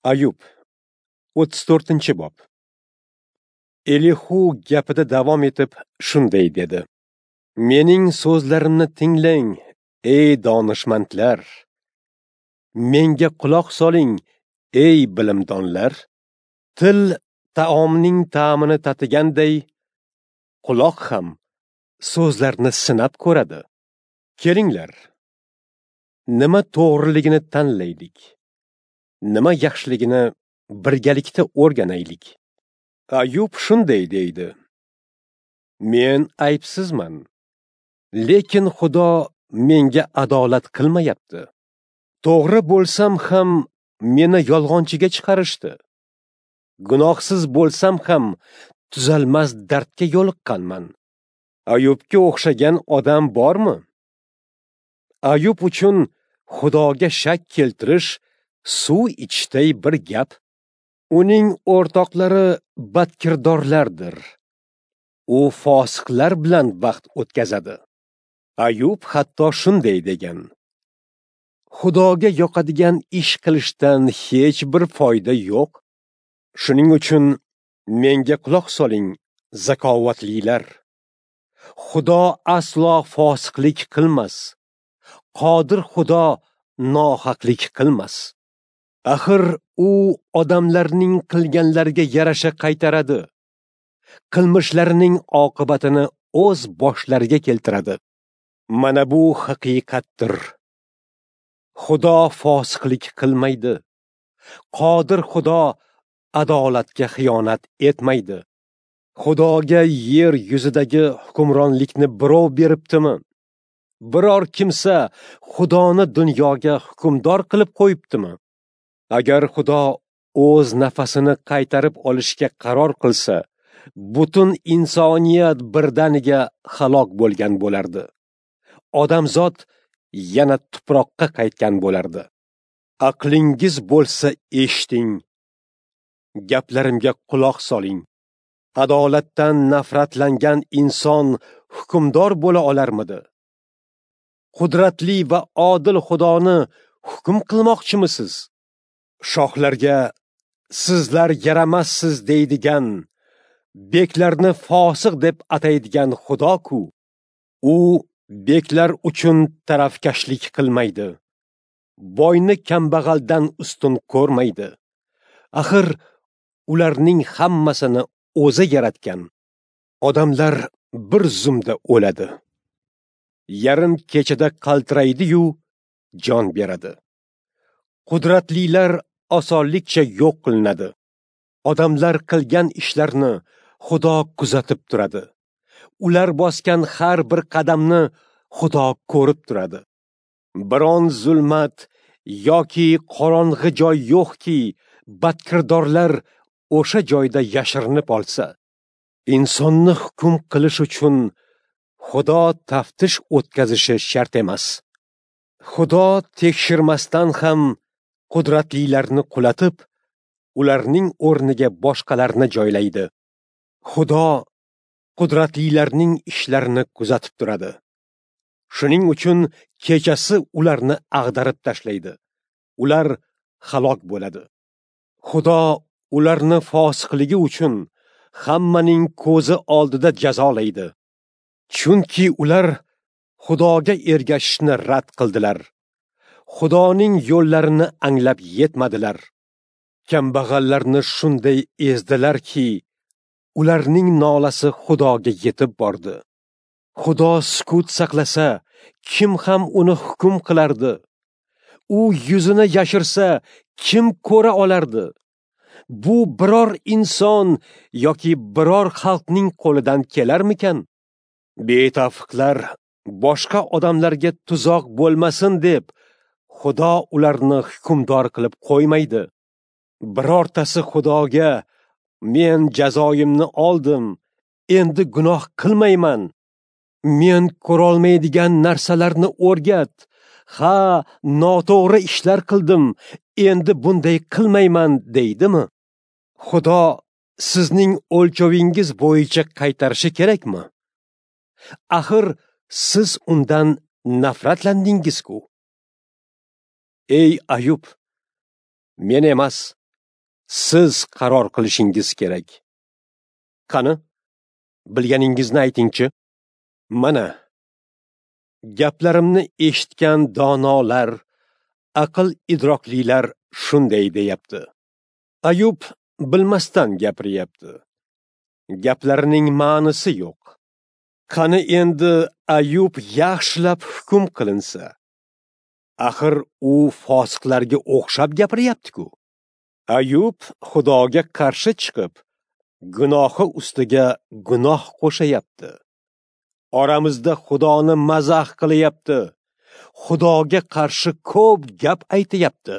Ayub, 34-bob. Elihu gapida davom etib shunday dedi: Mening so'zlarimni tinglang, ey donishmandlar. Menga quloq soling, ey bilimdonlar. Til taomning ta'mini tatiganday, quloq ham so'zlarni sinab ko'radi. Kelinglar, nima to'g'riligini tanlaylik, nima yaxshiligini birgalikda o'rganaylik. Ayub shunday deydi: Men aybsizman, lekin Xudo menga adolat qilmayapti. To'g'ri bo'lsam ham meni yolg'onchiga chiqarishdi. Gunohsiz bo'lsam ham tuzalmas dardga yo'liqqanman. Ayubga o'xshagan odam bormi? Ayub uchun Xudoga shak keltirish suv ichishday bir gap. Uning o'rtoqlari badkirdorlardir. U fosiqlar bilan vaqt o'tkazadi. Ayub hatto shunday degan: Xudoga yoqadigan ish qilishdan hech bir foyda yo'q. Shuning uchun menga quloq soling, zakovatlilar. Xudo aslo fosiqlik qilmas. Qodir Xudo nohaqlik qilmas. Axir u odamlarning qilganlariga yarasha qaytaradi. Qilmishlarining oqibatini o'z boshlariga keltiradi. Mana bu haqiqatdir. Xudo fosiqlik qilmaydi. Qodir Xudo adolatga xiyonat etmaydi. Xudoga yer yuzidagi hukmronlikni birov beribdimi? Biror kimsa Xudoni dunyoga hukmdor qilib qo'yibdimi? Agar Xudo o'z nafasini qaytarib olishga qaror qilsa, butun insoniyat birdaniga halok bo'lgan bo'lardi. Odamzod yana tuproqqa qaytgan bo'lardi. Aqlingiz bo'lsa eshiting, gaplarimga quloq soling. Adolatdan nafratlangan inson hukmdor bo'la olarmidi? Qudratli va odil Xudoni hukm qilmoqchimisiz? Shohlarga sizlar yaramassiz deydigan, beklarni fosiq deb ataydigan Xudo-ku. U beklar uchun tarafkashlik qilmaydi. Boyni kambag'aldan ustun ko'rmaydi. Axir ularning hammasini o'zi yaratgan. Odamlar bir zumda o'ladi. Yarim kechada qaltiraydi-yu jon beradi. Qudratlilar osonlikcha yo'q qilinadi. Odamlar qilgan ishlarni Xudo kuzatib turadi. Ular bosgan har bir qadamni Xudo ko'rib turadi. Biron zulmat yoki qorong'i joy yo'qki, badkirdorlar o'sha joyda yashirinib olsa. Insonni hukm qilish uchun Xudo taftish o'tkazishi shart emas. Xudo tekshirmasdan ham qudratlilarni qulatib, ularning o'rniga boshqalarni joylaydi. Xudo qudratlilarning ishlarini kuzatib turadi. Shuning uchun kechasi ularni ag'darib tashlaydi. Ular halok bo'ladi. Xudo ularni fosiqligi uchun hammaning ko'zi oldida jazolaydi. Chunki ular Xudoga ergashishni rad qildilar. Xudoning yo'llarini anglab yetmadilar. Kambag'allarni shunday ezdilarki, ularning nolasi Xudoga yetib bordi. Xudo sukut saqlasa, kim ham uni hukm qilardi? U yuzini yashirsa, kim ko'ra olardi? Bu biror inson yoki biror xalqning qo'lidan kelarmikan? Betafiqlar boshqa odamlarga tuzoq bo'lmasin deb Xudo ularni hukmdor qilib qo'ymaydi. Birortasi Xudoga men jazoyimni oldim, endi gunoh qilmayman. Men ko'rolmaydigan narsalarni o'rgat. Ha, noto'g'ri ishlar qildim, endi bunday qilmayman deydimi? Xudo sizning o'lchovingiz bo'yicha qaytarishi kerakmi? Axir siz undan nafratlandingiz-ku. Ey Ayub, men emas, Siz qaror qilishingiz kerak. Qani, bilganingizni aytingchi. Mana, gaplarimni eshitgan donolar, aql idroklilar shunday deyapti. Ayub bilmasdan gapiryapti. Gaplarining ma'nisi yo'q. Qani endi Ayub yaxshilab hukm qilinsa? Axir u fosiqlarga o'xshab gapiryapti-ku. Ayub Xudoga qarshi chiqib, gunohi ustiga gunoh qo'shayapti. Oramizda Xudoni mazax qilyapti. Xudoga qarshi ko'p gap aytayapti.